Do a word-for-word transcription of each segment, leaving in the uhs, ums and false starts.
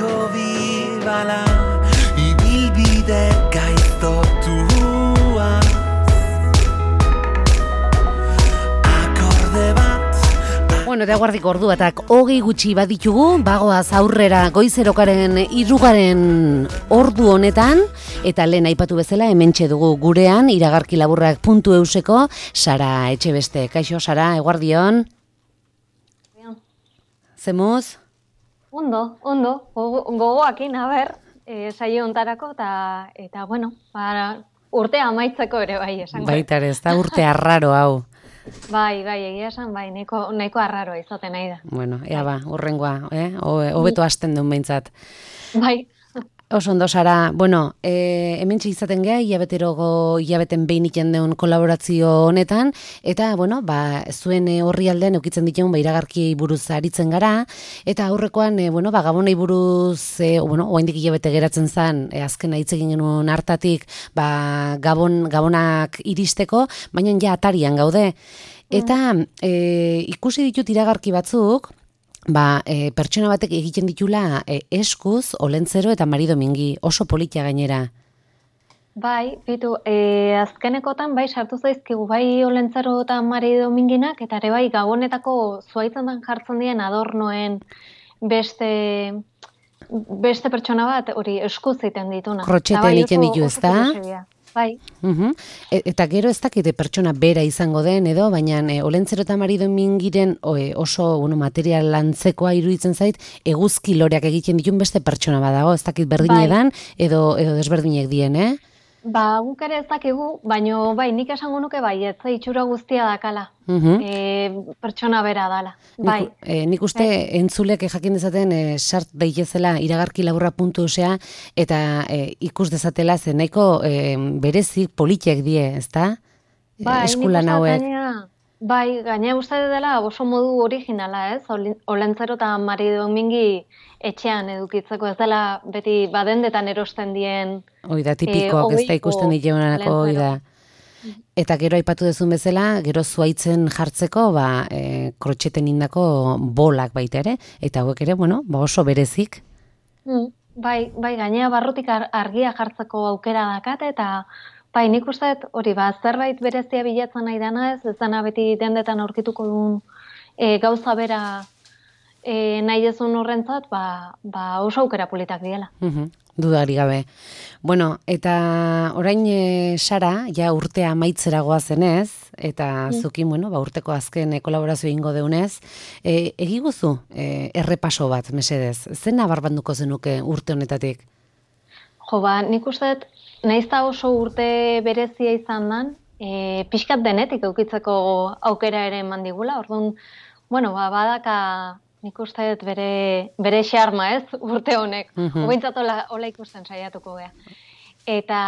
Asko bibala ibilbide gaiztotua akorde bat. Bueno, eta guardik orduatak hogei gutxi baditugu, bagoaz aurrera goizerokaren irugaren ordu honetan, eta lehen aipatu bezala hementxe dugu gurean, iragarki laburrak puntu euseko, Sara Etxebeste. Kaixo, Sara, eguardion? Zemuz? Ondo, ondo, gogoakin, a ber, e, saio ontarako, eta, eta bueno, para, urtea amaitzeko ere bai, esango. Baita ere, ez da urte arraro hau. Bai, bai, egia esan, bai, nahiko, nahiko arraroa izaten nahi da. Bueno, ea ba, urrengoa, eh? Hobeto hasten duen behintzat. Bai. Oso ondo, Sara, bueno, e, hementxe izaten geha, hilabeterogo hilabeten behin iten deun kolaborazio honetan, eta, bueno, ba, zuen horri aldean eukitzen ditugun, ba, iragarki buruz aritzen gara, eta aurrekoan, e, bueno, ba, gabonei buruz, e, bueno, oaindik hilabete geratzen zen, e, azken hitz egin genuen hartatik, ba, gabon, gabonak iristeko, baina ja atarian gaude. Eta e, ikusi ditut iragarki batzuk, Ba, e, pertsona batek egiten ditula e, eskuz, olentzero eta Mari Domingi, oso politia gainera. Bai, bitu, e, azkenekotan bai sartu zaizkigu, bai olentzero eta Mari Dominginak, eta ere bai gabonetako zuaitzetan jartzen dien adornoen beste, beste pertsona bat, hori eskuz egiten dituna. Krotxete bai, egiten ditu, ez da? Bai. Uh-huh. E, eta gero ez dakite pertsona bera izango den edo, baina e, olentzero eta Mari Domingiren e, oso bueno, material lantzekoa iruditzen zait, eguzki loreak egiten ditun beste pertsona badago, ez dakit berdinedan bai. edo, edo desberdinek dien, eh? Ba, guk ere ez dakigu, baino bai, nik esango nuke bai, ez itxura guztia dakala, uh-huh. e, pertsona bera dala. Bai. Nik, e, nik uste bai. entzulek jakin dezaten e, sart daitezela iragarki laburra puntu osea, eta e, ikus dezatela zen nahiko e, berezik politiek die, ezta? Bai, eskulan hauek. Bai, gaina uste dela oso modu originala, ez? Olentzero eta Mari Domingi etxean edukitzeko, ez dela beti badendetan erosten dien... Oida, tipikoak, ez da ikusten dituenako, oida. Eta gero aipatu dezun bezala, gero zuaitzen jartzeko, ba, e, krotxeten indako bolak baita ere, eta hauek ere, bueno, ba oso berezik. Mm, bai, bai, gainea barrutik argia jartzeko aukera dakate, eta bai, nik uste hori, ba, zerbait berezia bilatzen nahi dana ez, ez dana beti dendetan aurkituko duen e, gauza bera e, nahi ezun horrentzat, ba, ba oso aukera politak diela. Uh-huh. Dudari gabe. Bueno, eta orain e, Sara, ja urtea amaitzera goazenez, eta mm. zukin, bueno, ba, urteko azken e, kolaborazio ingo deunez, e, egiguzu e, errepaso bat, mesedez, zen nabarbanduko zenuke urte honetatik? Jo, ba, nik uste, naizta oso urte berezia izan dan, e, pixkat denetik eukitzeko aukera ere eman digula, orduan, bueno, ba, badaka... Nik uste dut bere, bere xarma ez, urte honek. Uh-huh. Obentzat hola, hola ikusten saiatuko beha. Eta,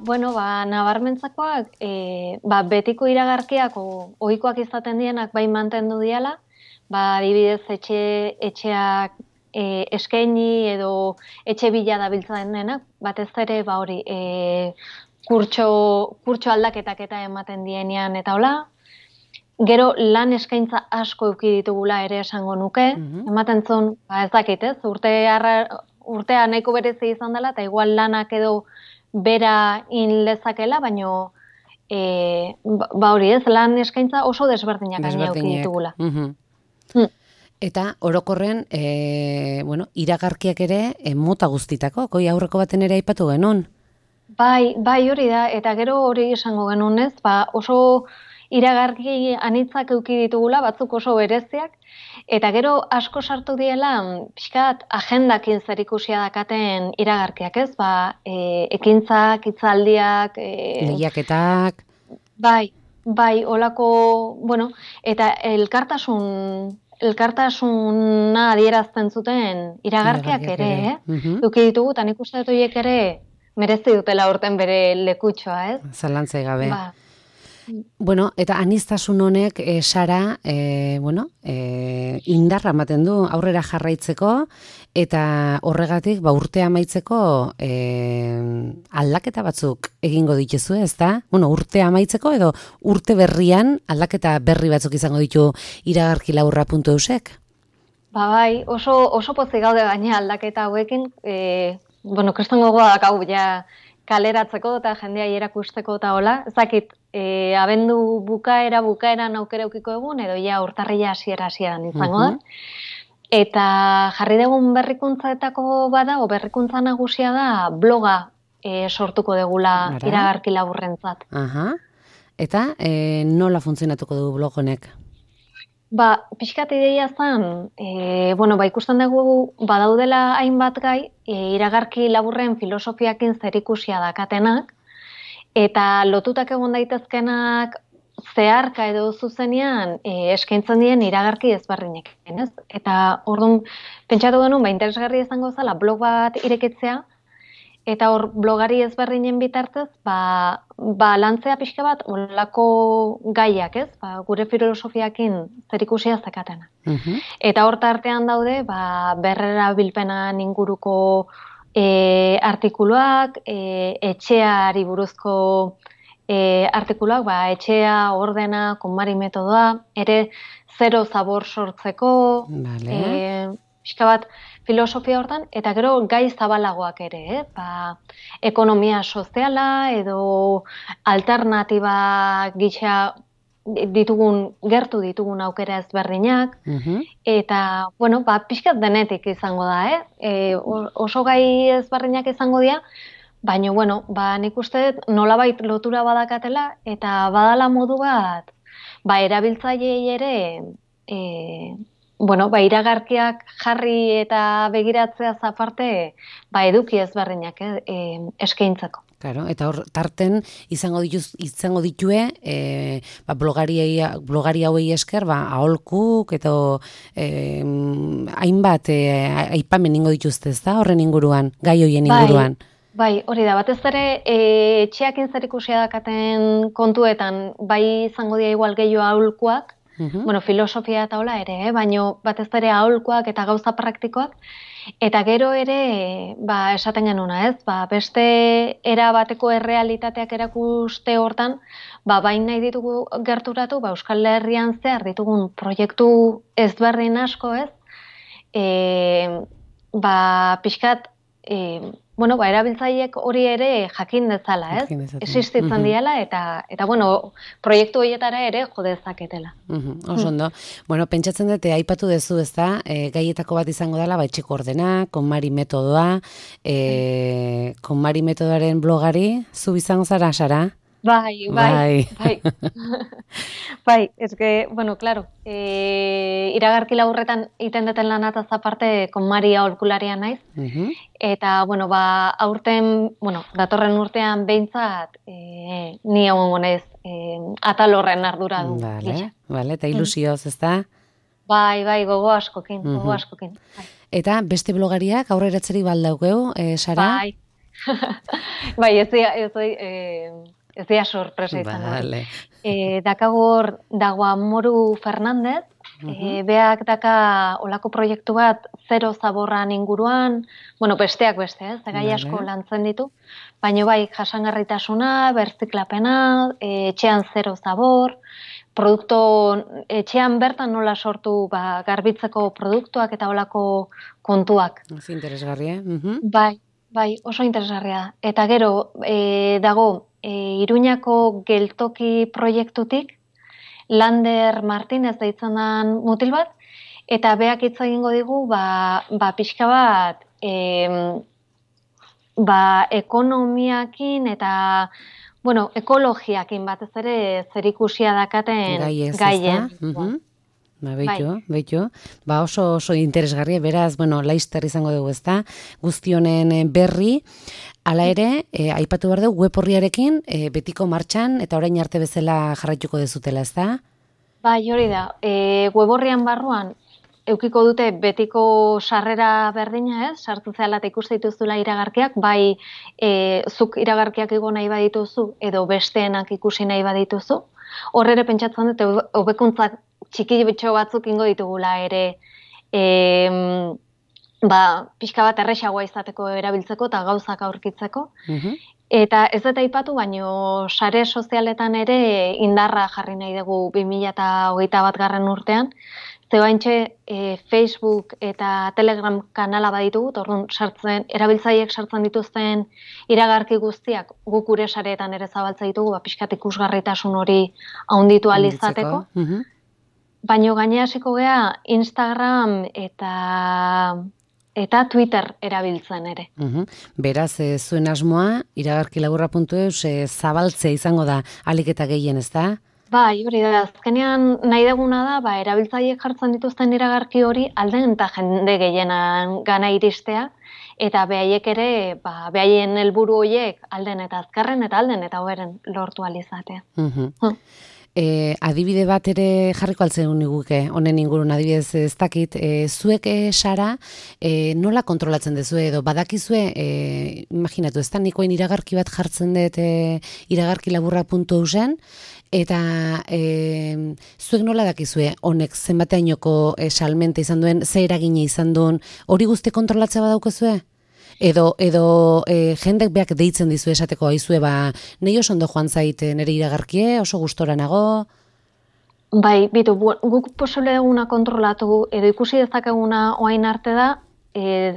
bueno, ba, nabarmentzakoak, e, ba, betiko iragarkiak o, ohikoak izaten dienak bai mantendu diala, ba, adibidez etxe, etxeak e, eskaini edo etxe bila dabiltzen denak, batez ere, ba, hori, e, kurtso, kurtso aldaketak eta ematen dienean eta hola, gero lan eskaintza asko eduki ditugula ere esango nuke, mm-hmm. ematen zuen, ba ez dakit ez, urte arra, urtea nahiko berezi izan dela, eta igual lanak edo bera in lezakela, baino e, ba hori ez, lan eskaintza oso desberdinak gaina eduki ditugula. Mm-hmm. Mm. Eta orokorren, e, bueno, iragarkiak ere e, mota guztitako, koi aurreko baten ere aipatu genuen? Bai, bai hori da, eta gero hori esango genuen ez, ba oso... iragarki anitzak eduki ditugula, batzuk oso bereziak, eta gero asko sartu diela, pixkat agendakin zer ikusia dakaten iragarkiak ez, ba, e, ekintzak, hitzaldiak, e, lehiaketak, bai, bai, olako, bueno, eta elkartasun, elkartasuna adierazten zuten iragarkiak ere, ere. Eh? Uh-huh. Eduki ditugu, eta nik uste dut horiek ere merezi dutela urten bere lekutxoa, ez? Zalantzai gabe. Ba. Bueno, eta aniztasun honek, e, Sara, e, bueno, e, indarra ematen du aurrera jarraitzeko, eta horregatik, ba, urtea amaitzeko e, aldaketa batzuk egingo dituzu, ez da? Bueno, urtea amaitzeko edo urte berrian aldaketa berri batzuk izango ditu iragarki laburra puntu eusek? Ba bai, oso, oso pozik gaude gaina aldaketa hauekin, e, bueno, kriston gogoa dakau ja kaleratzeko eta jendea erakusteko eta hola, ez dakit, e, abendu bukaera bukaeran aukera eukiko egun, edo ja urtarrila hasiera hasieran izango da. Eta jarri dugun berrikuntzaetako bada, o berrikuntza nagusia da bloga e, sortuko degula iragarki laburrentzat. Aha. Eta e, nola funtzionatuko du blog honek? Ba, pixkat ideia zen, e, bueno, ba, ikusten dugu badaudela hainbat gai, e, iragarki laburren filosofiakin zerikusia dakatenak, eta lotutak egon daitezkenak zeharka edo zuzenean e, eskaintzen dien iragarki ezberdinek. Ez? Eta orduan, pentsatu genuen, ba, interesgarri izango zela blog bat irekitzea, eta hor blogari ezberdinen bitartez, ba, ba lantzea pixka bat olako gaiak, ez? Ba, gure filosofiakin zerikusia zakatena. Uh-huh. Eta hor tartean daude, ba, berrera bilpenan inguruko e, artikuluak, e, etxeari buruzko e, artikuluak, ba, etxea, ordena, konmari metodoa, ere zero zabor sortzeko, vale. e, pixka bat, filosofia hortan, eta gero gai zabalagoak ere, eh? Ba, ekonomia soziala edo alternatiba gisa ditugun, gertu ditugun aukera ezberdinak, uh-huh. eta, bueno, ba, pixkat denetik izango da, eh? E, oso gai ezberdinak izango dira, baina, bueno, ba, nik uste nolabait lotura badakatela, eta badala modu bat, ba, erabiltzaileei ere, e, bueno, ba, iragarkiak jarri eta begiratzea aparte, ba, eduki ezberdinak eh, eh, eskaintzako. Claro, eta hor tarten izango dituz izango ditue eh, ba, blogari blogari hauei esker, ba, aholkuk eta eh, hainbat eh, aipamen ingo dituzte, ezta? Horren inguruan, gai hoien inguruan. Bai, bai, hori da, batez ere eh, etxeakin zerikusia dakaten kontuetan, bai izango dira igual gehiago aholkuak, Uh-huh. Bueno, filosofia eta hola ere, eh? Baina batez ere aholkuak eta gauza praktikoak, eta gero ere, ba, esaten genuna, ez? Ba, beste era bateko errealitateak erakuste hortan, ba, bain nahi ditugu gerturatu, ba, Euskal Herrian zehar ditugun proiektu ezberdin asko, ez? E, ba, pixkat, e, bueno, ba, erabiltzaileek hori ere jakin dezala, ez? Existitzen uh-huh. diela, eta, eta, bueno, proiektu horietara ere jo dezaketela. Uh-huh. Oso ondo. Uh-huh. Bueno, pentsatzen dute, aipatu dezu, ez da, e, gaietako bat izango dela, ba, etxeko ordena, konmari metodoa, e, konmari metodoaren blogari, zu izango zara, Sara? Bai, bai, bai. Bai, ez que, bueno, claro, e, iragarki laburretan iten deten lanataz aparte konmari aholkularia naiz, uh-huh. eta, bueno, ba, aurten, bueno, datorren urtean behintzat, e, ni egongo naiz, e, atal horren ardura du. Vale, vale, eta ilusioz, ez da? Bai, bai, gogo askokin, uh-huh. gogo askokin. Bai. Eta beste blogariak aurreratzeri baldaukeu, e, Sara? Bai, bai, ez dira, ez dira, e, ez dira sorpresa izan. Vale. E, dakagor dagoa Moru Fernandez, uh-huh. e, beak daka olako proiektu bat zero zaborran inguruan, bueno, besteak beste, ez, gai vale. asko lantzen ditu, baina bai jasangarritasuna, berziklapena, e, etxean zero zabor, produktu, etxean bertan nola sortu ba, garbitzeko produktuak eta olako kontuak. Ez interesgarria, eh? Uh-huh. Bai, bai, oso interesgarria. Eta gero, e, dago, E, Iruñako geltoki proiektutik, Lander Martinez deitzen den mutil bat, eta beak hitz egingo digu, ba, ba pixka bat, e, ba, ekonomiakin eta, bueno, ekologiakin batez ere zerikusia dakaten gaien. Uh-huh. Ba, beito, bai. beito. Ba, oso, oso interesgarria, beraz, bueno, laizter izango dugu, ezta? Guzti honen berri. Hala ere, e, aipatu behar dugu web horriarekin, e, betiko martxan eta orain arte bezala jarraituko dezutela, ez da? Bai, hori da. E, web horrian barruan, eukiko dute betiko sarrera berdina, ez? Sartu zehala eta ikuste dituzula iragarkiak, bai e, zuk iragarkiak igo nahi badituzu, edo besteenak ikusi nahi badituzu. Hor ere pentsatzen dute, hobekuntzak txiki bitxo batzuk ingo ditugula ere, e, ba, pixka bat erresagoa izateko erabiltzeko eta gauzak aurkitzeko. Uh-huh. Eta ez dut aipatu, baino sare sozialetan ere indarra jarri nahi dugu bi mila hogeita bat garren urtean. Zeoaintxe e, Facebook eta Telegram kanala baditugu, orduan sartzen, erabiltzaileek sartzen dituzten iragarki guztiak guk gure sareetan ere zabaltza ditugu, ba, pixkat ikusgarritasun hori haunditu ahal izateko. Mhm. Baina gainera hasiko gea Instagram eta eta Twitter erabiltzen ere. Mhm. Beraz, e, zuen asmoa, iragarkilaburra puntu eus e, zabaltzea izango da ahalik eta gehien, ez da? Bai, hori da, azkenean nahi deguna da, ba, erabiltzaileek jartzen dituzten iragarki hori alden eta jende gehienan gana iristea, eta behaiek ere, ba, behaien helburu horiek alden eta azkarren eta alden eta hoberen lortu alizatea. Mhm. Hmm. E, adibide bat ere jarriko altzen niguke, honen ingurun adibidez ez dakit, e, zuek e, Sara, e, nola kontrolatzen duzu edo badakizue, e, imaginatu, ez da nikoen iragarki bat jartzen dut e, iragarkilaburra puntu eusen, eta e, zuek nola dakizue honek zenbateainoko e, salmente izan duen, ze eragine izan duen, hori guzti kontrolatzea badaukezue? Edo, edo e, jendek beak deitzen dizu esateko aizue, ba, nahi oso ondo joan zait nire iragarkie, oso gustora nago? Bai, bitu, guk posible duguna kontrolatu, edo ikusi dezakeguna oain arte da, e,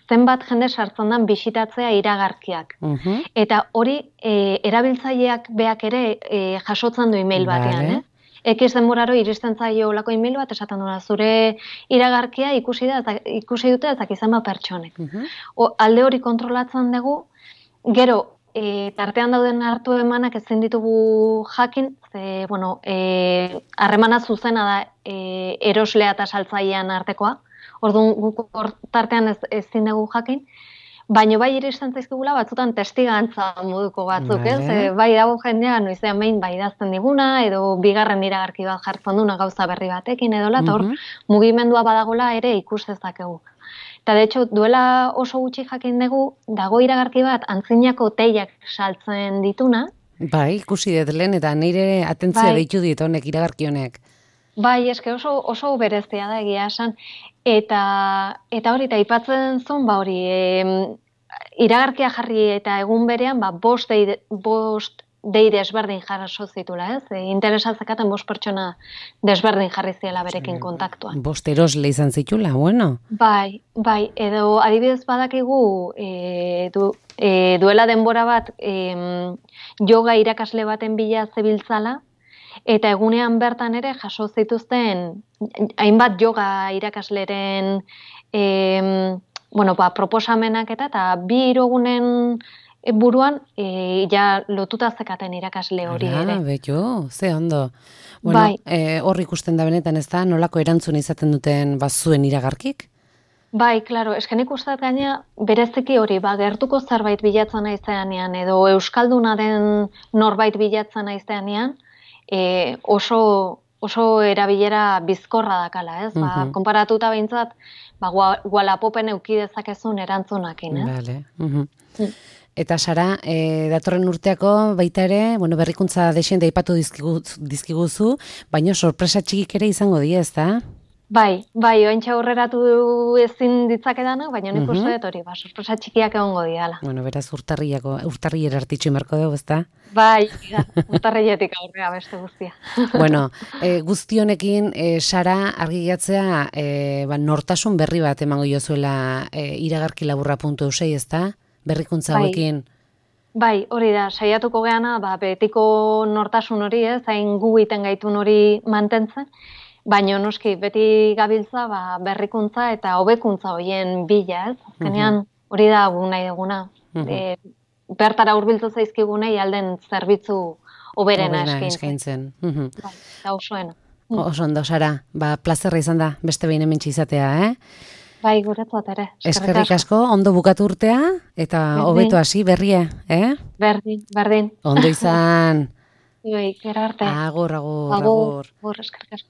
zenbat jende sartzen dan bisitatzea iragarkiak. Uh-huh. Eta hori e, erabiltzaileak beak ere e, jasotzen du email batean, Vale. eh? Ekiz denboraro iristen zaio olako email bat esaten duena, zure iragarkia ikusi da, eta, ikusi dute ezak izan bat pertsonek. Uh-huh. O, alde hori kontrolatzen dugu, gero, e, tartean dauden hartu emanak ezin ditugu jakin, ze, bueno, e, harremana zuzena da e, eroslea eta saltzailean artekoa, orduan guk hor tartean ez, ezin dugu jakin, baina bai iristen zaizkigula batzutan testigantza moduko batzuk, Vale. ez? E, bai dago jendea noizean behin bai idazten diguna, edo bigarren iragarki bat jartzen duna gauza berri batekin edola, eta hor Mhm. mugimendua badagola ere ikus dezakegu. Eta de hecho, duela oso gutxi jakin dugu, dago iragarki bat antzinako teiak saltzen dituna, Bai, ikusi dut lehen, eta nire atentzia Bai. deitu dit honek, iragarki honek. bai, eske oso oso berezia da egia esan, eta eta hori eta aipatzen zuen, ba hori, em, iragarkia jarri eta egun berean, ba bost dei bost dei desberdin jaso zitula, ez? E, interesa zekaten bost pertsona desberdin jarri ziela berekin kontaktuan. Bost erosle izan zitula, bueno. Bai, bai, edo adibidez badakigu e, du, e, duela denbora bat em, yoga irakasle baten bila zebiltzala, eta egunean bertan ere jaso zituzten hainbat yoga irakasleren em, bueno, ba, proposamenak eta, eta bi hiru egunen buruan e, ja lotuta zekaten irakasle hori Ara, ere. betxo, ze ondo. Bueno, Bai. e, hor ikusten da benetan, ez da, nolako erantzun izaten duten bazuen iragarkik? Bai, claro, esken ikustat gaina bereziki hori, ba, gertuko zerbait bilatzen naizeanean, edo euskalduna den norbait bilatzen naizeanean, e, oso, oso erabilera bizkorra dakala, ez? Ba, Mhm. konparatuta behintzat, ba, gua- Walapopen euki dezakezun erantzunakin, ez? Vale. Mhm. Mm. Eta Sara, e, datorren urteako baita ere, bueno, berrikuntza desente aipatu dizkigu, dizkiguzu, baina sorpresa txikik ere izango die, ez da? Bai, bai, ointxe aurreratu ezin ditzakedanak, baina nik Mhm. uste dut hori, ba, sorpresa txikiak egongo diala. Bueno, beraz urtarriako, urtarriera artitxu inberko dugu, ez da? Bai, da, urtarriletik aurrea beste guztia. Bueno, e, guzti honekin, e, Sara, argi gehatzea, e, ba, nortasun berri bat emango jozuela e, iragarkilaburra puntu eusei, ez da? Berrikuntza Bai. hauekin. Bai, hori da, saiatuko geana, ba, betiko nortasun hori, ez, hain gu iten gaitun hori mantentzen, baina noski, beti gabiltza, ba, berrikuntza eta hobekuntza horien bila, ez? Azkenean, hori da gu nahi duguna. Mhm. E, bertara hurbiltu zaizkigunei alden zerbitzu hoberena Hoberena eskaintzen. eskaintzen. Mhm. Bai, eta osoena. Oso ondo, Sara, ba, plazerra izan da, beste behin hementxe izatea, eh? Bai, guretzat ere. Eskerrik asko, ondo bukatu urtea, eta Berdin. hobeto hasi berria, eh? Berdin, berdin. Ondo izan. Bai, gero arte. Agur, agur, Agur, agur. agur, eskerrik asko.